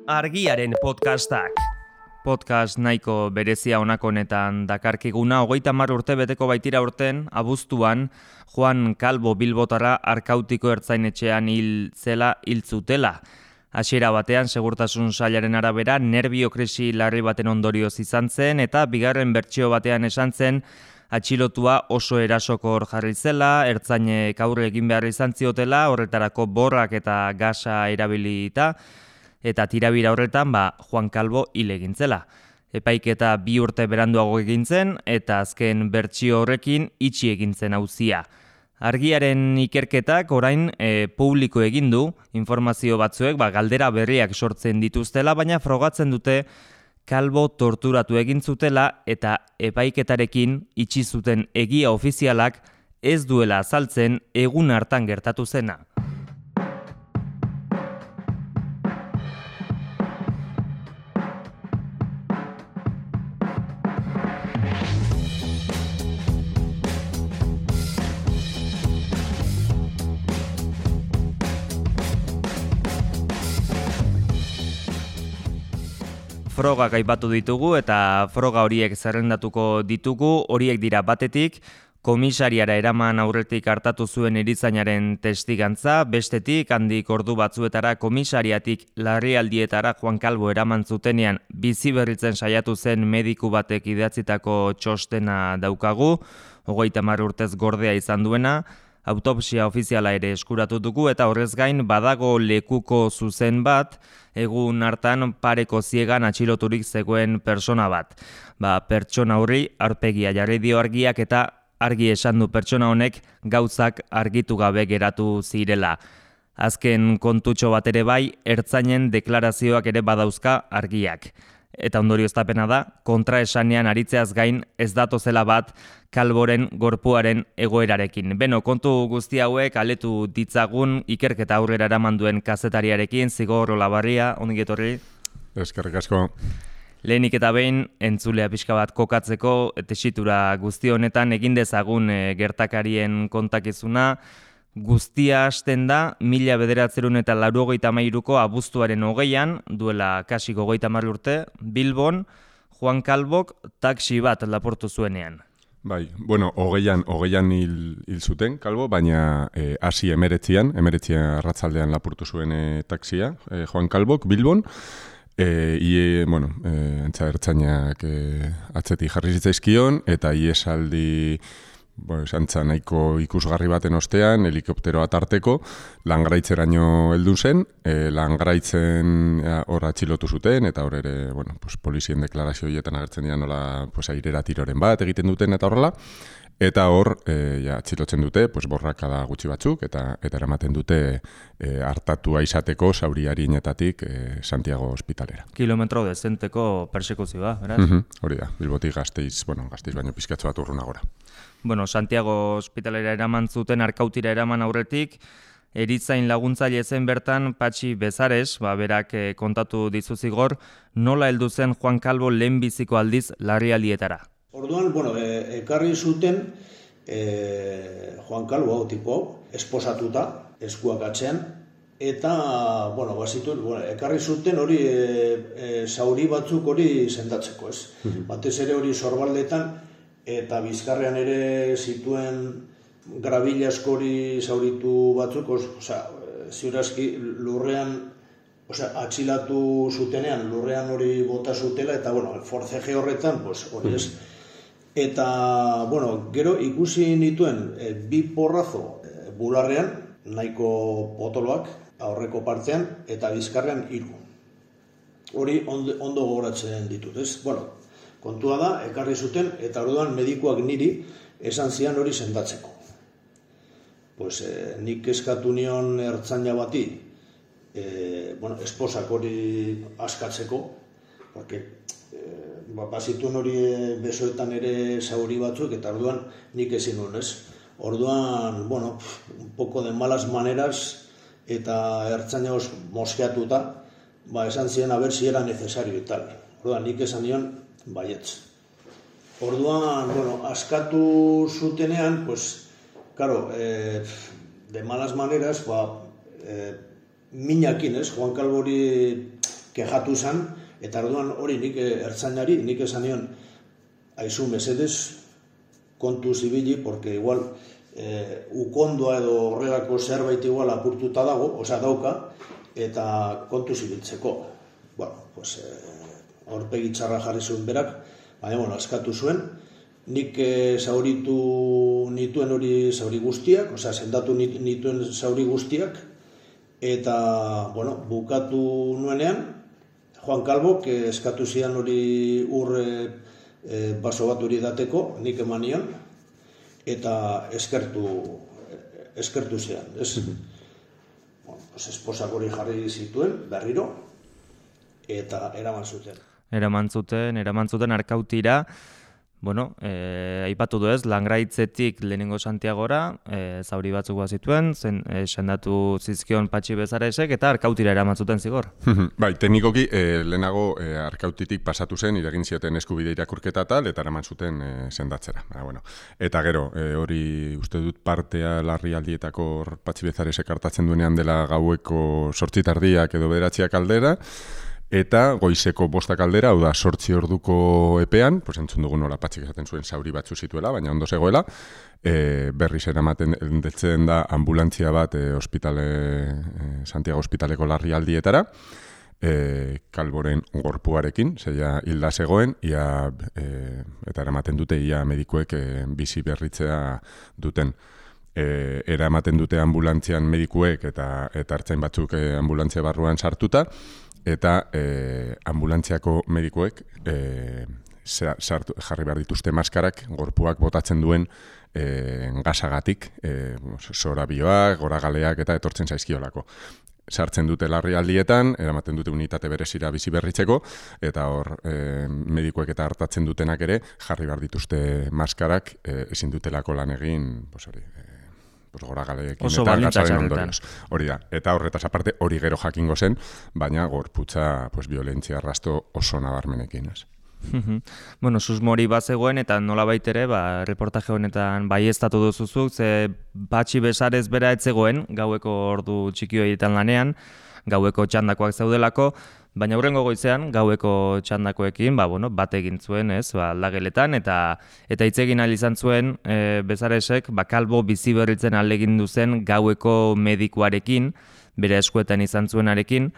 Argiaren podcastak. Podcast nahiko berezia honako honetan dakarkiguna, 30 urte beteko baitira urten, abuztuan, Juan Calvo Bilbotarra Arkautiko ertzainetxean hil zutela. Hasiera batean, segurtasun sailaren arabera, nerbiokrisi larri baten ondorioz izan zen, eta bigarren bertsio batean esan zen, atxilotua oso erasokor jarri zela, ertzainek aurre egin behar izan ziotela, horretarako borrak eta gasa erabilita, eta tirabira horretan, Juan Calvo hil egin zela. Epaiketa 2 urte beranduago egin zen, eta azken bertsio horrekin itxi egin zen auzia. Argiaren ikerketak orain publiko egin du, informazio batzuek galdera berriak sortzen dituztela, baina frogatzen dute Calvo torturatu egin zutela eta epaiketarekin itxi zuten egia ofizialak ez duela azaltzen egun hartan gertatu zena. Frogak aipatu ditugu eta froga horiek zerrendatuko ditugu, horiek dira batetik, komisariara eraman aurretik hartatu zuen erizainaren testigantza, bestetik handik ordu batzuetara komisariatik larrialdietara Juan Calvo eraman zutenean bizi berritzen saiatu zen mediku batek idatzitako txostena daukagu, 30 urtez gordea izan duena, autopsia ofiziala ere eskuratu dugu eta horrez gain badago lekuko zuzen bat, egun hartan pareko ziegan atxiloturik zegoen persona bat. Pertsona horri aurpegia jarri dio Argiak eta argi esan du pertsona honek gauzak argitu gabe geratu zirela. Azken kontutxo bat ere bai, ertzainen deklarazioak ere badauzka Argiak. Eta ondorioztapena da, kontraesanean aritzeaz gain ez datozela bat Calvoren gorpuaren egoerarekin. Beno, kontu guzti hauek aletu ditzagun ikerketa aurrera eraman duen kazetariarekin, Zigor Olabarria, ongi etorri. Eskerrik asko. Lehenik eta behin, entzulea pixka bat kokatzeko, tesitura guzti honetan egin dezagun gertakarien kontakizuna. Guztia hasten da 1983ko abuztuaren 20an, duela kasi 30 urte, Bilbon, Juan Calvok taxi bat lapurtu zuenean. Bai, bueno, 20an hil zuten Calvo, baina hasi 19 arratzaldean lapurtu zuen taxia, Juan Calvok, Bilbon, ertzainak atzetik jarri zitzaizkion, eta iesaldi santza nahiko ikusgarri baten ostean, helikopteroa tarteko, Langraitzeraino heldu zen, Langraitzen hor atxilotu zuten, eta hor ere, polizien deklarazio horietan agertzen dira nola airera tiroren bat egiten duten eta horrela, eta hor atxilotzen dute, borrakada gutxi batzuk, eta eramaten dute hartatua izateko zauri arinetatik Santiago ospitalera. Kilometro dezenteko persekuzioa, beraz? Hori da, Bilbotik Gasteiz baino pizkatxo bat urrunagora. Santiago ospitalera eraman zuten, Arkautira eraman aurretik, erizain laguntzaile zen bertan Patxi Bezares, berak kontatu dizu Zigor, nola heldu zen Juan Calvo lehenbiziko aldiz larrialdietara. Orduan, ekarri zuten Juan Calvo tipo esposatuta, eskuak atzean, eta, ekarri zuten hori zauri batzuk hori sendatzeko, ez? Batez ere hori sorbaldetan, eta bizkarrean ere zituen grabila askori zauritu batzuk, ziurazki lurrean, atxilatu zutenean, lurrean hori bota zutela, eta, forceje horretan, hori ez. Eta, gero ikusi nituen bi porrazo bularrean, nahiko potoloak, aurreko partean, eta bizkarrean 3. Hori ondo gogoratzen ditut, ez? Kontua da, ekarri zuten, eta orduan medikuak niri esan zian hori sendatzeko. Nik eskatu nion ertzaina bati, esposak hori askatzeko, porque bazituen hori besoetan ere zauri batzuk, eta orduan nik ezin nuen, ez? Orduan, un poco de malas maneras, eta ertzaina moskeatuta, esan zian a ver si era necesario y tal. Orduan, nik esan nion, baietz. Orduan, askatu zutenean, claro, de malas maneras, minakin, ez? Juan Calvori kejatu zen, eta orduan hori nik ertzainari, nik esan nion, aizu mesedez, kontu zibili, porque igual ukondoa edo horrelako zerbait igual apurtuta dago, dauka, eta kontu zibiltzeko. Bueno, pues aurpegi txarra jarri zuen berak, baina, askatu zuen, nik zauritu nituen hori zauri guztiak, sendatu nituen zauri guztiak, eta, bukatu nuenean, Juan Calbok eskatu zian hori baso bat hori dateko, nik eman nion, eta eskertu zian. Esposak hori jarri zituen, berriro, eta eraman zuten. Eraman zuten Arkautira. Aipatu du ez, Langraitzetik lehenengo Santiagora, zauri batzuk bazituen, sendatu zizkion Patxi Bezaresek, eta Arkautira eraman zuten zigor. Bai, teknikoki lehenago Arkautitik pasatu zen, iregin zioten eskubide irakurketa tal, eta eraman zuten sendatzera. Eta gero, hori uste dut partea larrialdietako Patxi Bezaresek hartatzen duenean dela gaueko 8:00 edo 9:00 aldera, eta goizeko 5 aldera, hau da 8 orduko epean, entzun dugu nola Patxik esaten zuen zauri batzu zituela, baina ondo zegoela, berriz eramaten detzen da ambulantzia bat Santiago Hospitaleko larrialdietara, Calboren gorpuarekin, zeia hilda zegoen, eta eramaten dute ia medikuek bizi berritzea duten. Eramaten dute ambulantzian medikuek eta ertzain batzuk ambulantzia barruan sartuta, eta ambulantziako medikuek jarri behar dituzte maskarak gorpuak botatzen duen gasagatik, zorabioak, goragaleak eta etortzen zaizkiolako. Sartzen dute larrialdietan, eramaten dute unitate berezira bizi berritzeko, eta hor medikuek eta hartatzen dutenak ere jarri behar dituzte maskarak ezin dutelako lan egin, goragaleekin eta gasaren ondorioz. Hori da, eta horretaz aparte hori gero jakingo zen, baina gorputza violentzia arrasto oso nabarmenekin. Susmori bazegoen eta nolabait ere, reportaje honetan baieztatu duzuzuk, ze Patxi Bezares bera etzegoen, gaueko ordu txiki horietan lanean, gaueko txandakoak zeudelako, baina hurrengo goizean, gaueko txandakoekin, bat egin zuen, aldageletan, eta hitz egin ahal izan zuen Bezaresek, Calbo bizi berritzen ahalegindu zen gaueko medikuarekin, bere eskuetan izan zuenarekin,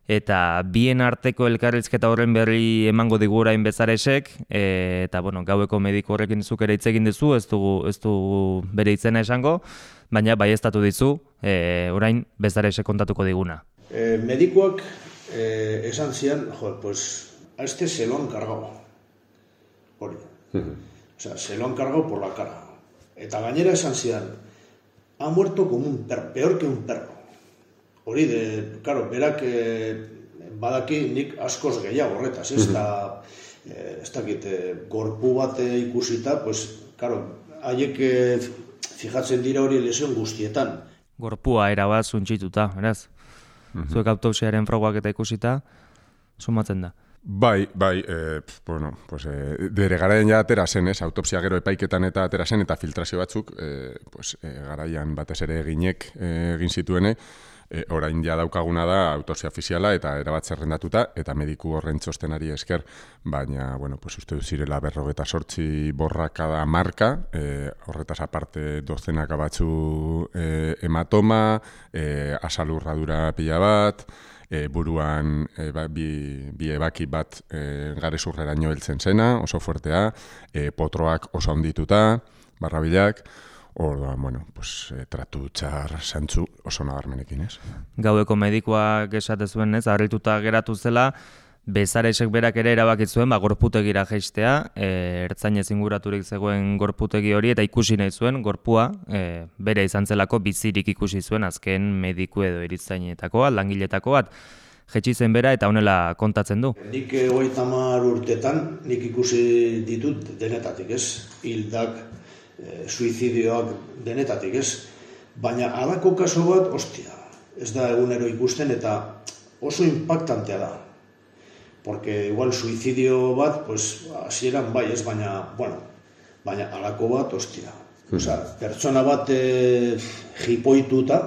eta bien arteko elkarrizketa horren berri emango digu orain Bezaresek, eta gaueko mediku horrekin zuk ere hitz egin dizu, ez du bere izena esango, baina baieztatu dizu, orain Bezaresek kontatuko diguna. Medikuak esan zian, a este se lo han cargado. Hori. Se lo han cargado por la cara. Eta gainera esan zian, ha muerto como un perro, peor que un perro. Hori claro, berak badaki nik askoz gehiago horretaz, ez dakit gorpu bat ikusita, claro, haiek fijatzen dira hori lesion guztietan. Gorpua erabat zuntxituta, eraz? Zuek autopsiaren frogak eta ikusita, sumatzen da. Bai, bere garaian ja atera zen, autopsia gero epaiketan eta atera zen, eta filtrazio batzuk, garaian batez ere egin zituene, orain ja daukaguna da autopsia ofiziala eta erabat zerrendatuta, eta mediku horren txostenari esker, baina, uste dut zirela 58 borrakada marka, horretaz aparte dozenaka batzu hematoma, asalurradura pila bat, buruan bi ebaki bat garezurreraino heltzen zena, oso fuertea, potroak oso handituta, barrabilak, orduan, tratu txar zantzu oso nabarmenekin, ez? Gaueko medikuak esate zuen, harrituta geratu zela, Bezaresek berak ere erabaki zuen, gorputegira jaistea, ertzainez inguraturik zegoen gorputegi hori, eta ikusi nahi zuen, gorpua, bere izan zelako bizirik ikusi zuen, azken mediku edo eritzainetakoa, langiletakoa bat, jetxi zen bera eta honela kontatzen du. Nik 30 urtetan, nik ikusi ditut denetatik, ez? Hildak, suizidioak denetatik, ez? Baina halako kaso bat, ez da egunero ikusten eta oso impactantea da. Porque igual suicidio bat, hasieran bai, ez, baina halako bat, pertsona bat jipoituta,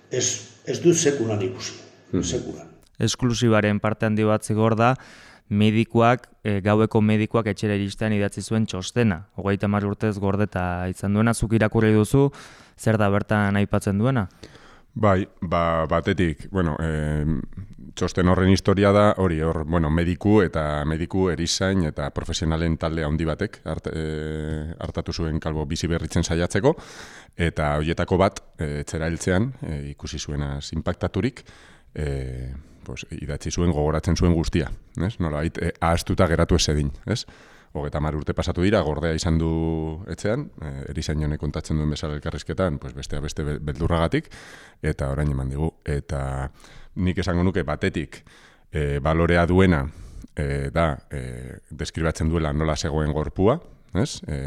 ez dut sekulan ikusi, sekulan. esklusibaren parte handi bat zigor da, medikuak, gaueko medikuak etxera iristean idatzi zuen txostena. 30 urtez gordeta izan duena, zuk irakurri duzu, zer da bertan aipatzen duena? Bai, batetik, txosten horren historia da, mediku erizain eta profesionalen talde handi batek hartatu zuen kalbo bizi berritzen saiatzeko, eta horietako bat, etxera heltzean, ikusi zuenaz inpaktaturik, idatzi zuen gogoratzen zuen guztia, nolabait, ahaztuta geratu ez edin, 30 urte pasatu dira, gordea izan du etxean, erizain honek kontatzen duen bezala elkarrizketan, beste beldurragatik, eta orain eman digu. Eta nik esango nuke batetik balorea duena da deskribatzen duela nola zegoen gorpua,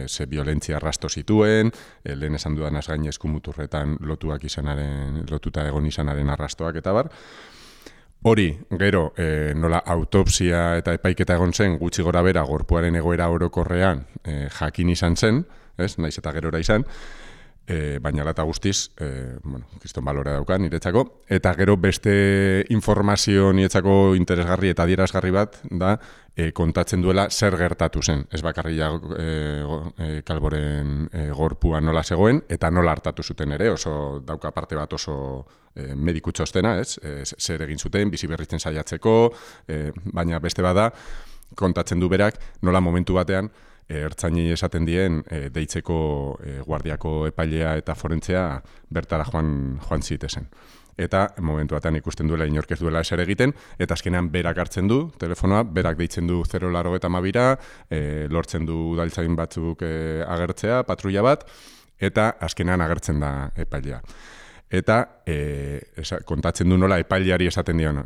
ze violentzia arrasto zituen, lehen esan dudan gain eskumuturretan lotuta egon izanaren arrastoak eta bar. Hori, gero, nola autopsia eta epaiketa egon zen, gutxi gora bera, gorpuaren egoera orokorrean jakin izan zen, naiz eta gerora izan, baina lata guztiz, kriston balorea dauka niretzako, eta gero beste informazio niretzako interesgarri eta adierazgarri bat da kontatzen duela zer gertatu zen, ez bakarria Kalboren gorpua nola zegoen, eta nola hartatu zuten ere, oso dauka parte bat oso mediku txostena, zer egin zuten, bizi berritzen saiatzeko, baina beste bada, kontatzen du berak, nola momentu batean, ertzainei esaten dien deitzeko guardiako epailea eta forentzea bertara joan zitezen. Eta momentu batean ikusten duela inork ez duela eser egiten, eta azkenean berak hartzen du telefonoa, berak deitzen du 082ra, lortzen du udaltzain batzuk agertzea, patrulla bat, eta azkenean agertzen da epailea. Eta kontatzen du nola epaileari esaten dion,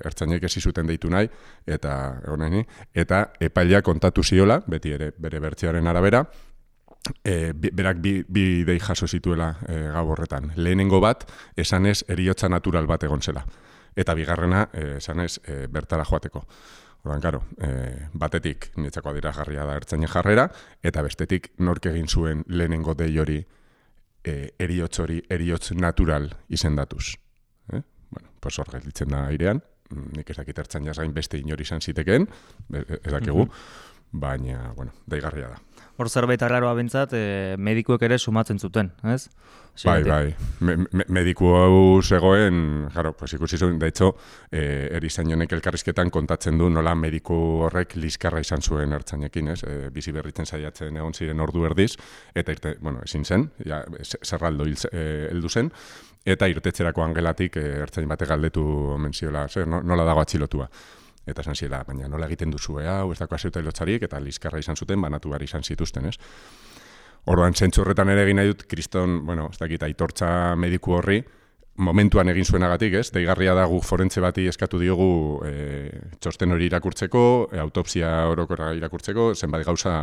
ertzainek ez zuten deitu nahi, eta epailea kontatu ziola, beti ere bere bertsioaren arabera, berak bi dei jaso zituela gau horretan. Lehenengo bat, esanez heriotza natural bat egon zela. Eta bigarrena, esanez bertara joateko. Orduan, karo, batetik niretzako adierazgarria da ertzainen jarrera, eta bestetik nork egin zuen lehenengo dei hori heriotz natural izendatuz. Hor gelditzen da airean, nik ez dakit ertzainaz gain beste inori izan zitekeen, ez dakigu, baina, daigarria da. Hor zerbait arraroa bentsat, medikuek ere sumatzen zuten, ez? Bai. Mediku hau zegoen, ikusi zuen, da hecho, erizain honek elkarrizketan kontatzen du nola mediku horrek liskarra izan zuen ertzainekin, ez? Bizi berritzen saiatzen egon ziren ordu erdiz, eta ezin zen, zerraldo heldu zen, eta irtetzerako angelatik ertzain batek galdetu omen ziola, nola dago atxilotua. Eta esan ziela, baina nola egiten duzu, hau ez dako azeuta ilotzarik, eta liskarra izan zuten, banatu behar izan zituzten, ez? Orduan, zentzu horretan ere egin nahi dut, kriston, ez dakit, aitortza mediku horri, momentuan egin zuenagatik, ez? Deigarria da guk forentze bati eskatu diogu txosten hori irakurtzeko, autopsia orokorra irakurtzeko, zenbat gauza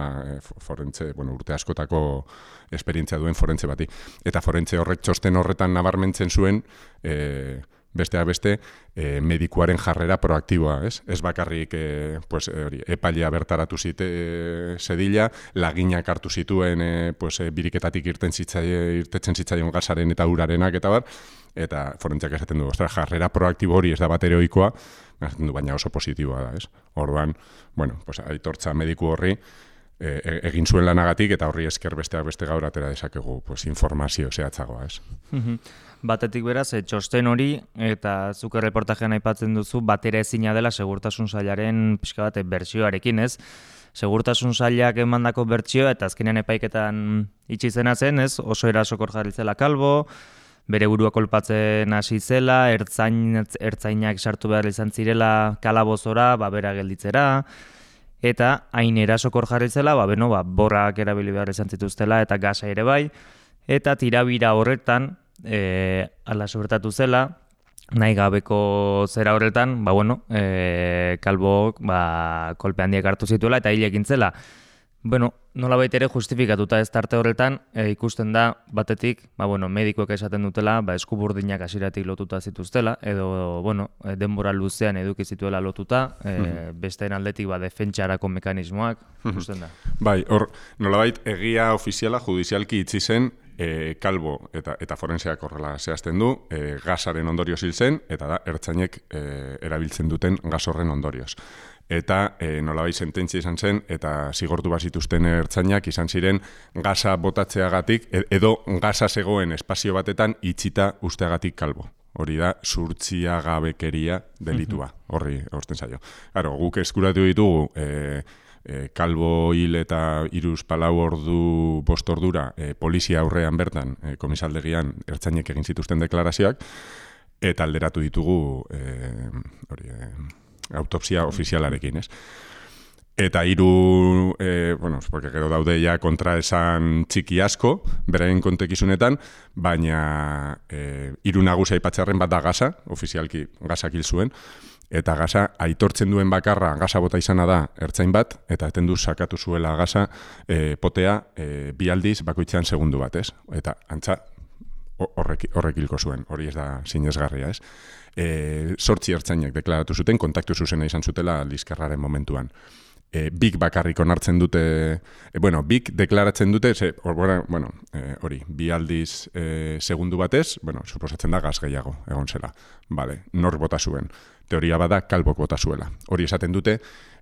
forentze, urte askotako esperientzia duen forentze bati. Eta forentze horrek txosten horretan nabarmentzen zuen, besteak beste, medikuaren jarrera proaktiboa, ez? Ez bakarrik epailea bertaratu zedila, laginak hartu zituen biriketatik irtetzen zitzaion gasaren eta urarenak eta bar, eta forentziak esaten du, jarrera proaktibo hori ez da bat ere ohikoa, baina oso positiboa da, ez? Orduan, aitortza mediku horri, egin zuen lanagatik eta horri esker besteak beste gaur atera dezakegu informazio zehatzagoa, ez? Batetik beraz, txosten hori eta zuk erreportajean aipatzen duzu batera ezina dela segurtasun sailaren pixka bat bertsioarekin, ez? Segurtasun sailak emandako bertsioa eta azkenean epaiketan itxi zena zen, ez? Oso erasokor jarri zela Kalbo, bere burua kolpatzen hasi zela, ertzainak sartu behar izan zirela kalabozora, bera gelditzera, eta hain erasokor jarri zela, borrak erabili behar izan zituztela eta gasa ere bai, eta tirabira horretan, ala sobertatu zela, nahi gabeko zera horretan, Kalbok kolpe handiak hartu zituela eta hil egin zela. Nolabait ere justifikatuta ez tarte horretan, ikusten da batetik, medikoek esaten dutela, eskuburdinak hasieratik lotuta zituztela, edo, denbora luzean eduki zituela lotuta, besteen aldetik defentsarako mekanismoak, ikusten da. Bai, hor, nolabait egia ofiziala judizialki itzi zen, Kalbo eta forenseak horrela zehazten du, gasaren ondorioz hil zen, eta da, ertzainek erabiltzen duten gas horren ondorioz. Eta nolabait sententzia izan zen, eta zigortu bazituzten ertzainak izan ziren gasa botatzeagatik, edo gasa zegoen espazio batetan itxita usteagatik kalbo. Hori da, zurtziagabekeria delitua, horri egozten zaio. Claro, guk eskuratu ditugu, kalbo hil eta 3-4 ordu, 5 ordura, polizia aurrean bertan, komisaldegian ertzainek egin zituzten deklarazioak, eta alderatu ditugu autopsia ofizialarekin, ez? Eta 3, porque gero daude ja kontraesan txiki asko, beraien kontekizunetan, baina 3 nagusia aipatzearren bat da gasa, ofizialki gasak hil zuen, eta gasa aitortzen duen bakarra gasa bota izana da ertzain bat, eta etendu sakatu zuela gasa potea 2 aldiz bakoitzean segundu bat, ez? Eta antza horrek hilko zuen, hori ez da sinesgarria, ez? 8 ertzainek deklaratu zuten, kontaktu zuzena izan zutela liskarraren momentuan. Bik bakarrik onartzen dute, bik deklaratzen dute, hori, 2 aldiz segundu batez, suposatzen da gaz gehiago egon zela. Vale, nor bota zuen. Teoria bada kalbok bota zuela. Hori esaten dute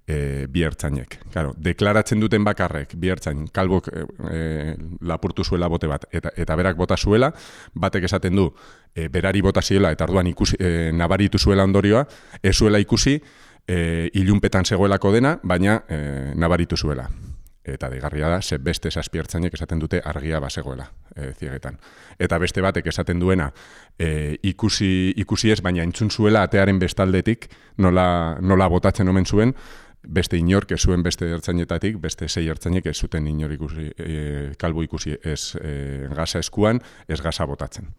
2 ertzainek. Claro, deklaratzen duten bakarrek 2 ertzain kalbok lapurtu zuela bote bat eta berak bota zuela, batek esaten du berari bota ziela eta orduan nabaritu zuela ondorioa, ez zuela ikusi ilunpetan zegoelako dena, baina nabaritu zuela. Eta deigarria da, beste 7 ertzainek esaten dute argia bazegoela ziegetan. Eta beste batek esaten duena ikusi ez, baina entzun zuela atearen bestaldetik nola botatzen omen zuen, beste inork ez zuen beste ertzainetatik, beste 6 ertzainek ez zuten inor ikusi, kalbo ikusi ez gasa eskuan, ez gasa botatzen.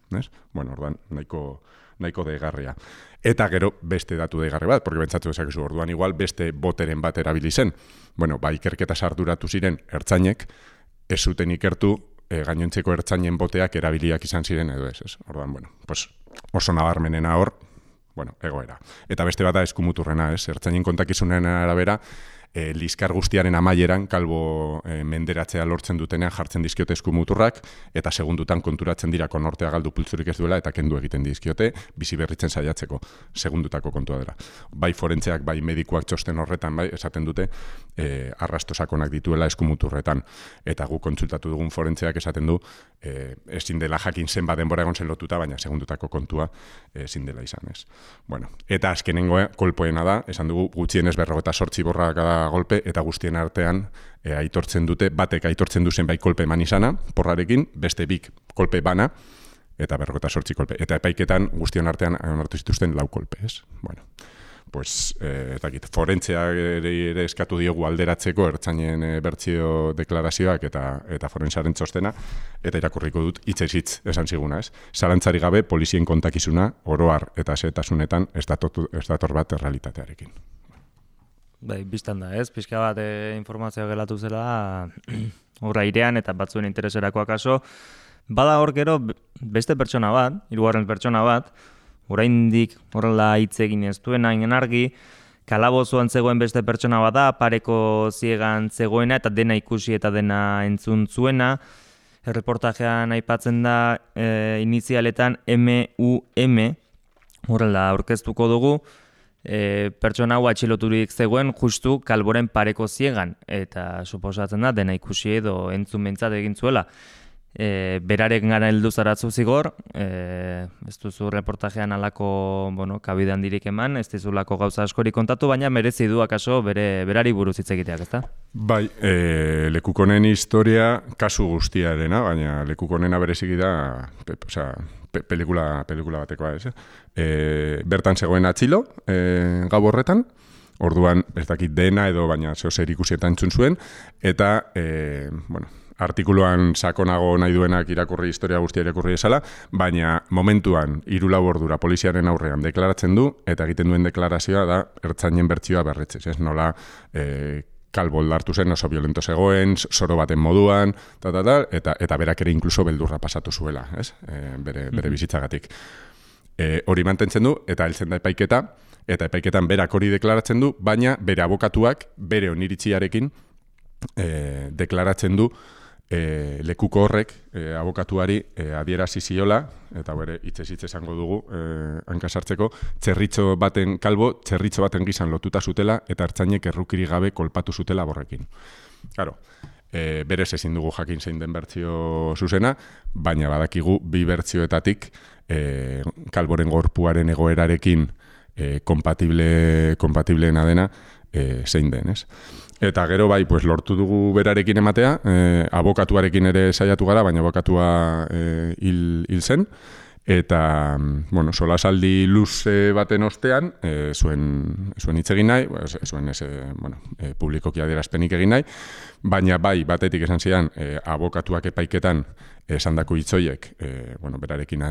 Bueno, ordan, nahiko deigarria. Eta gero beste datu deigarri bat, porque bentsatu dezakezu orduan igual beste boteren bat erabili zen. Ikerketa sarduratu ziren ertzainek, ez zuten ikertu gainontzeko ertzainen boteak erabiliak izan ziren edo ez. Orduan, oso nabarmenena hor, egoera. Eta beste bat da eskumuturrena, ez? Ertzainen kontakizunen arabera, liskar guztiaren amaieran kalbo menderatzea lortzen dutenean jartzen dizkiote eskumuturrak, eta segundutan konturatzen dira konortea galdu pultzurik ez duela, eta kendu egiten dizkiote, bizi berritzen saiatzeko, segundutako kontua dela. Bai forentzeak, bai medikuak txosten horretan, bai, esaten dute, arrastosakonak dituela eskumuturretan. Eta guk kontsultatu dugun forentzeak esaten du, ezin dela jakin zenbat denbora egon zen lotuta, baina segundutako kontua ezin dela izan, ez. Eta azkenengoa, kolpoena da, esan dugu gutxienez 48 borrakada golpe, eta guztien artean aitortzen dute, batek aitortzen duzen bai kolpe eman izana, porrarekin, beste 2 kolpe bana, eta 48 kolpe. Eta epaiketan guztion artean onartu zituzten 4 kolpe, ez? Forentzea ere eskatu diogu alderatzeko ertzainen bertsio deklarazioak eta forentziaren txostena, eta irakurriko dut hitzez esan ziguna, ez? Zalantzari gabe polizien kontakizuna oroar eta xehetasunetan ez dator bat errealitatearekin. Bai, biztan da, ez? Pixka bat informazioa gelatu zela horra airean eta batzuen intereserako akaso. Bada hor gero beste pertsona bat, 3. pertsona bat, oraindik horrela hitz egin ez duen hain argi, kalabozoan zegoen beste pertsona bat da, pareko ziegan zegoena eta dena ikusi eta dena entzun zuena. Erreportajean aipatzen da inizialetan MUM, horrela aurkeztuko dugu, pertsona hau atxiloturik zegoen justu kalboren pareko ziegan, eta suposatzen da dena ikusi edo entzun behintzat egin zuela. Berarek gara heldu zaratzu zigor, ez duzu reportajean alako kabide handirik eman, ez dizulako gauza askori kontatu, baina merezi du akaso berari buruz hitz egiteak, ezta? Bai, lekukonen historia kasu guztiarena, baina lekukonena bereziki da, pelikula batekoa, ez? Bertan zegoen atxilo, gau horretan, orduan ez dakit dena edo baina zehozer ikusietan entzun zuen, eta, artikuluan sakonago nahi duenak irakurri historia guztia irakurri esala, baina momentuan 3-4 ordura poliziaren aurrean deklaratzen du, eta egiten duen deklarazioa da ertzainen bertsioa berritzez, ez nola kalbo hartu zen, oso violento zegoen, soro baten moduan, eta berak ere inkluso beldurra pasatu zuela, ez? Bere bizitzagatik. Hori mantentzen du, eta heltzen da epaiketa, eta epaiketan berak hori deklaratzen du, baina bere abokatuak bere oniritziarekin deklaratzen du lekuko horrek abokatuari adierazi ziola, eta bere hitzez esango dugu hankasartzeko, txerritxo baten gizan lotuta zutela eta ertzainek errukiri gabe kolpatu zutela borrekin. Claro, berez ezin dugu jakin zein den bertsio zuzena, baina badakigu bi bertsioetatik kalboren gorpuaren egoerarekin kompatibleena dena zein den, ez? Eta gero bai, pues, lortu dugu berarekin ematea, abokatuarekin ere saiatu gara, baina abokatua hil zen, eta, bueno, solasaldi luze baten ostean, zuen hitz egin nahi, publikoki adierazpenik egin nahi, baina bai, batetik esan zidan, abokatuak epaiketan esandako hitzoiek, berarekin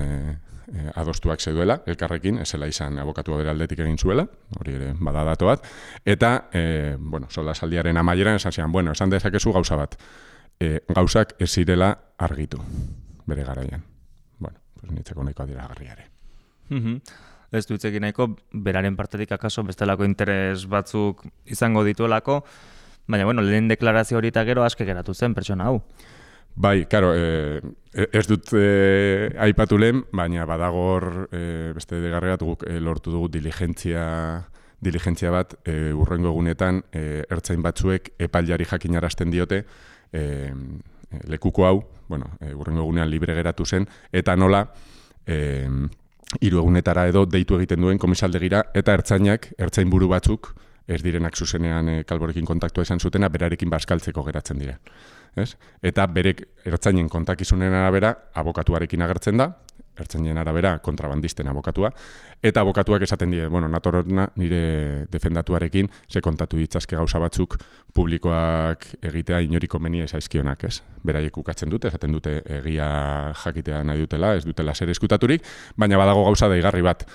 adostuak zeuela, elkarrekin, ezela izan abokatua bere aldetik egin zuela, hori ere bada dato bat, eta, solasaldiaren amaieran esan zidan, esan dezakezu gauza bat, gauzak ez zirela argitu, bere garaian. Nitzeko nahiko adiragarriare. Ez du hitzekin nahiko, beraren partetik akaso bestelako interes batzuk izango dituelako, baina, lehen deklarazio hori eta gero aske geratu zen pertsona hau. Bai, karo, ez dut aipatu lehen, baina badagor beste degarregat guk lortu dugu diligentzia bat urrengo egunetan ertzain batzuek epailari jakinarazten diote lekuko hau, urrengo egunean libre geratu zen, eta nola 3 egunetara edo deitu egiten duen komisaldegira, eta ertzain buru batzuk, ez direnak zuzenean kalborekin kontaktua izan zutena, berarekin bazkaltzeko geratzen dira. Eta berek ertzainen kontakizunen arabera abokatuarekin agertzen da, ertzainen arabera kontrabandisten abokatua, eta abokatuak esaten die, natorona nire defendatuarekin, ze kontatu ditzazke gauza batzuk publikoak egitea inoriko menia zaizkionak, ez? Beraiek ukatzen dute, esaten dute egia jakitea nahi dutela, ez dutela zer eskutaturik, baina badago gauza daigarri bat,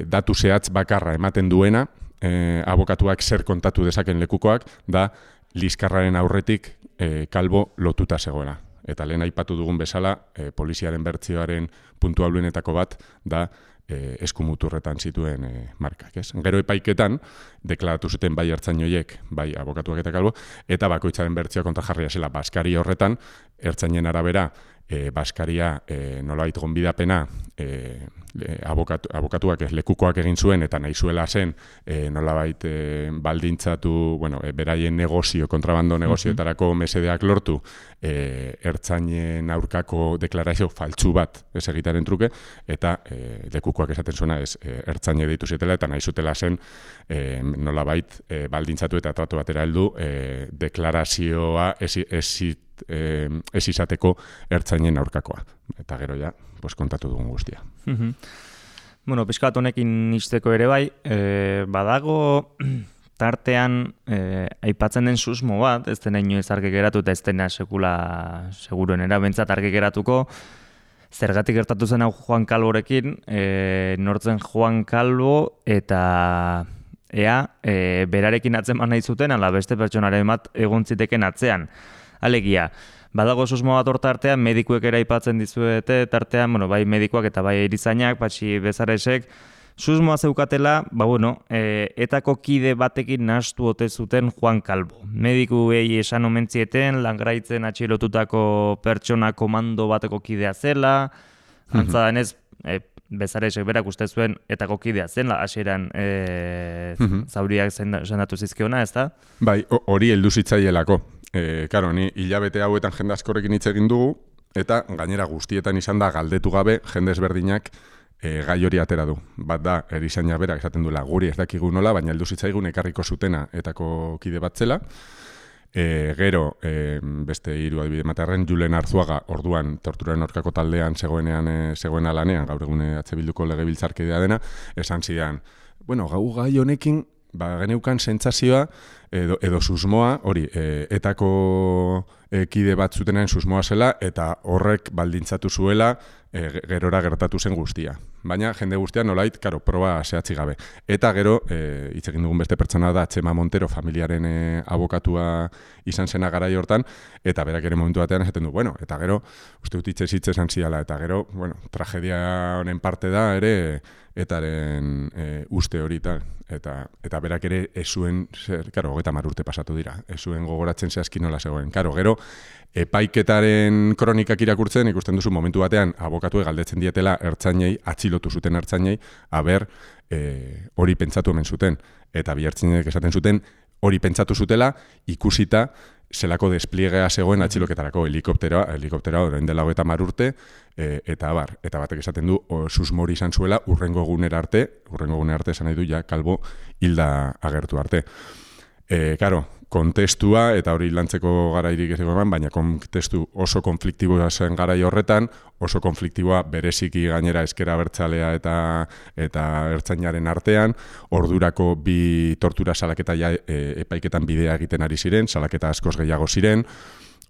datu zehatz bakarra ematen duena, abokatuak zer kontatu dezaken lekukoak, da liskarraren aurretik kalbo lotuta zegoela. Eta lehen aipatu dugun bezala, poliziaren bertsioaren puntuabluenetako bat da eskumuturretan zituen markak. Gero epaiketan, deklaratu zuten bai ertzain horiek, bai abokatuak eta kalbo, eta bakoitzaren bertsioa kontrajarria zela Baskari horretan, ertzainen arabera, Baskaria nolabait gonbidapena abokatuak lekukoak egin zuen eta nahi zuela zen nolabait baldintzatu, beraien negozio, kontrabando negozioetarako mesedeak lortu ertzainen aurkako deklarazio faltsu bat ez egitaren truke, eta lekukoak esaten zuena ertzaine deitu zitela eta nahi zutela zen nolabait baldintzatu eta tratu batera heldu deklarazioa ez izateko ertzainen aurkakoa. Eta gero ja, kontatu dugun guztia. Piskat honekin izteko ere bai, badago tartean aipatzen den susmo bat, ez dena inoiz argi geratu eta ez dena sekula seguruen erabentzat argi geratuko, zergatik gertatu zen hau Juan Calvorekin, nortzen Juan Calvo eta berarekin atzeman nahi zuten, ala beste pertsonaren bat egon ziteken atzean. Alegia, badago susmo bat hor tartean, medikuek ere aipatzen dizuete, tartean, bai medikuak eta bai erizainak, Patxi Bezaresek, susmoa zeukatela, etako kide batekin nahastu ote zuten Juan Calvo. Medikuei esan omentzieten, Langraitzen atxilotutako pertsona komando bateko kidea zela, antza denez, Bezaresek berak uste zuen etako kidea zen, hasieran zauriak sendatu zizkiona, ez da? Bai, hori heldu zitzaielako. Karo, ni hilabete hauetan jende askorekin hitz egin dugu, eta gainera guztietan izan da galdetu gabe jende ezberdinak gai hori atera du. Bat da, erizaina berak esaten duela guri ez dakigu nola, baina heldu zitzaigun ekarriko zutena etako kide bat zela. Gero, beste hiru adibide matarren, Julen Arzuaga orduan torturaren aurkako taldean zegoena lanean, gaur egune Bilduko legebiltzarkidea dena, esan zidan, gai honekin, geneukan sentsazioa edo susmoa, hori, etako kide bat zutenaren susmoa zela, eta horrek baldintzatu zuela gerora gertatu zen guztia. Baina jende guztia nolait, proba zehatzi gabe. Eta gero, hitz egin dugun beste pertsona da Txema Montero, familiaren abokatua izan zena garai hortan, eta berak ere momentu batean esaten du, bueno, eta gero, uste dut hitz esan ziala, eta gero, bueno, tragedia honen parte da ere, etaren uste hori eta berak ere ez zuen, 30 urte pasatu dira, ez zuen gogoratzen zehazki nola zegoen. Gero, epaiketaren kronikak irakurtzen, ikusten duzu momentu batean, abokatuek galdetzen dietela ertzainei, atxilotu zuten ertzainei, aber hori pentsatu hemen zuten, eta bi ertzainek esaten zuten, hori pentsatu zutela, ikusita, zelako despliegea zegoen atxiloketarako helikopteroa orain dela 30 urte, eta batek esaten du, susmori izan zuela, urrengo egunera arte esan nahi du, ja, kalbo hilda agertu arte. Kontestua, eta hori lantzeko garairik ez egon, baina kontestu oso konfliktiboa zen garai horretan, oso konfliktiboa bereziki gainera ezkera abertzalea eta ertzainaren artean, ordurako bi tortura salaketa epaiketan bidea egiten ari ziren, salaketa askoz gehiago ziren,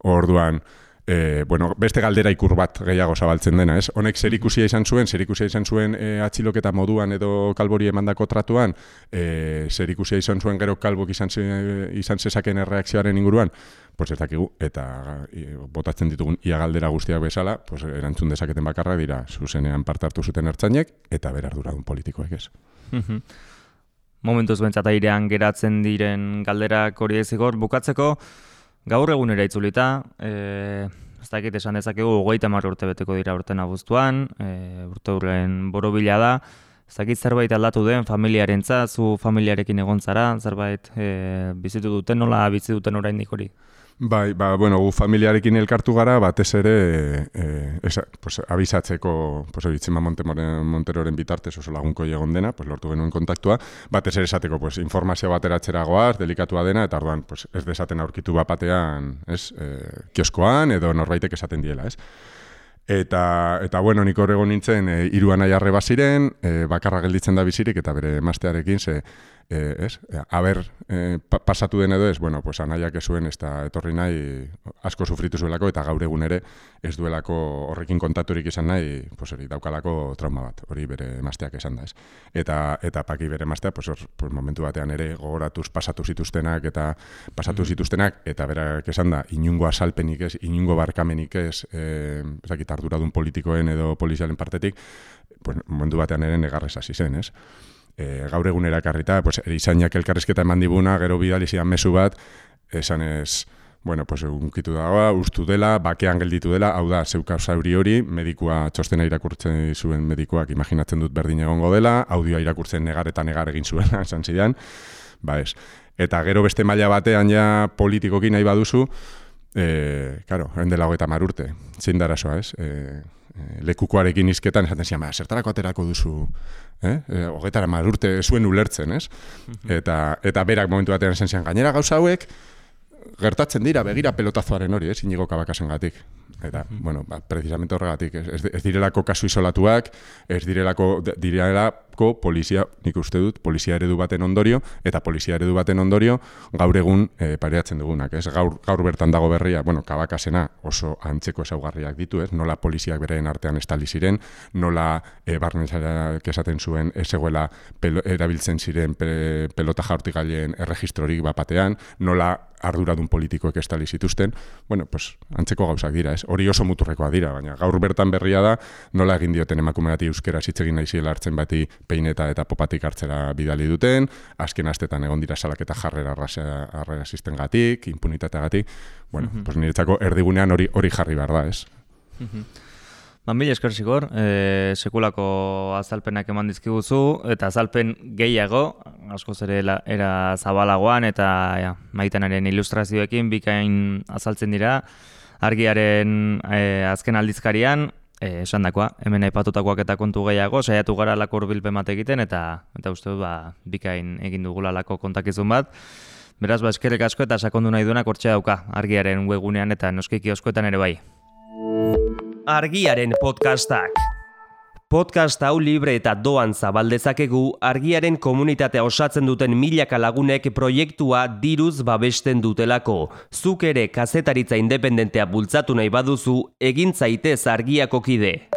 orduan, beste galdera ikur bat gehiago zabaltzen dena, ez? Honek zerikusia izan zuen atxiloketa moduan edo Kalbori emandako tratuan, zerikusia izan zuen gero Kalbok izan zezaken erreakzioaren inguruan, pues ez dakigu, eta botatzen ditugun ia galdera guztiak bezala, pues erantzun dezaketen bakarra dira zuzenean parte hartu zuten ertzainek, eta ber arduradun politikoek ez. Momentuz bentsat airean geratzen diren galderak hori ezigor, bukatzeko, gaur egunera itzulita, ez dakit esan dezakegu 30 urte beteko dira urten abuztuan, urte hurren borobila da, ez dakit zerbait aldatu den familiarentzat, zu familiarekin egon zara, zerbait bizitu duten, nola bizi duten oraindik hori? Bai, gu familiarekin elkartu gara, batez ere abisatzeko, Txema Monteroren bitartez oso lagunko egon dena, lortu genuen kontaktua, batez ere esateko informazio bateratzera goaz, delikatua dena, eta orduan ez desaten aurkitu bapatean, kioskoan edo norbaitek esaten diela, ez? Eta nik hor egon nintzen, 3 anai arreba ziren, bakarra gelditzen da bizirik, eta bere emaztearekin, pasatu den edo ez, anaiak ez zuen, ez da etorri nahi asko sufritu zuelako, eta gaur egun ere ez duelako horrekin kontaturik izan nahi, daukalako trauma bat, hori bere emazteak esan da ez. Eta Paki bere emaztea, momentu batean ere gogoratuz pasatu zituztenak, eta berak esan da, inungo asalpenik ez, inungo barkamenik ez, arduradun politikoen edo polizialen partetik, momentu batean ere negarrez hasi zen, ez? Gaur egun erakarrita, erizainak elkarrizketa eman dibuna, gero bidali zidan mezu bat, esan ez, unkitu dagoa, ustu dela, bakean gelditu dela, hau da, zeuka zauri hori, medikua txostena irakurtzen zuen medikuak imaginatzen dut berdin egongo dela, audioa irakurtzen negar eta negar egin zuela, esan zidan, eta gero beste maila batean ja politikoki nahi baduzu, dela 30 urte, zein da arazoa, ez? Lekukoarekin izketan, esaten zian, zertarako aterako duzu, 30 urte zuen ulertzen, ez? Eta berak momentu batean esan zian, gainera gauza hauek, gertatzen dira, begira pelotazoaren hori, ez? Inigo Kabakasengatik. Eta, precisamente horregatik, ez direlako kasu isolatuak, ez direlako polizia, nik uste dut, polizia eredu baten ondorio, eta polizia eredu baten ondorio gaur egun pareatzen dugunak, ez? Gaur bertan dago berria, Kabakasena oso antzeko ezaugarriak ditu, ez? Nola poliziak bereen artean estali ziren, nola barnezak esaten zuen ezegoela erabiltzen ziren pelota jaurtigaileen erregistrorik bapatean, nola arduradun politikoek estali zituzten, antzeko gauzak dira, ez? Hori oso muturrekoa dira, baina gaur bertan berria da, nola egin dioten emakume bati euskera hitz egin nahi ziela hartzen bati peineta eta popatik hartzera bidali duten, azken astetan egon dira salaketa jarrera rasistengatik, impunitateagatik, niretzako erdigunean hori jarri behar da, ez? Mila esker zigor, sekulako azalpenak eman dizkiguzu, eta azalpen gehiago, askoz ere era zabalagoan, eta Maitenaren ilustrazioekin bikain azaltzen dira, Argiaren azken aldizkarian, esandakoa, hemen aipatutakoak eta kontu gehiago, saiatu gara lako hurbilpen bat egiten, eta uste dut bikain egin dugula lako kontakizun bat. Beraz, eskerrik asko eta sakondu nahi duenak hortxe dauka, Argiaren webgunean eta noski kioskoetan ere bai. Argiaren podcastak. Podcast hau libre eta doan zabaldezakegu Argiaren komunitatea osatzen duten milaka lagunek proiektua diruz babesten dutelako. Zuk ere kazetaritza independentea bultzatu nahi baduzu, egin zaitez Argiako kide.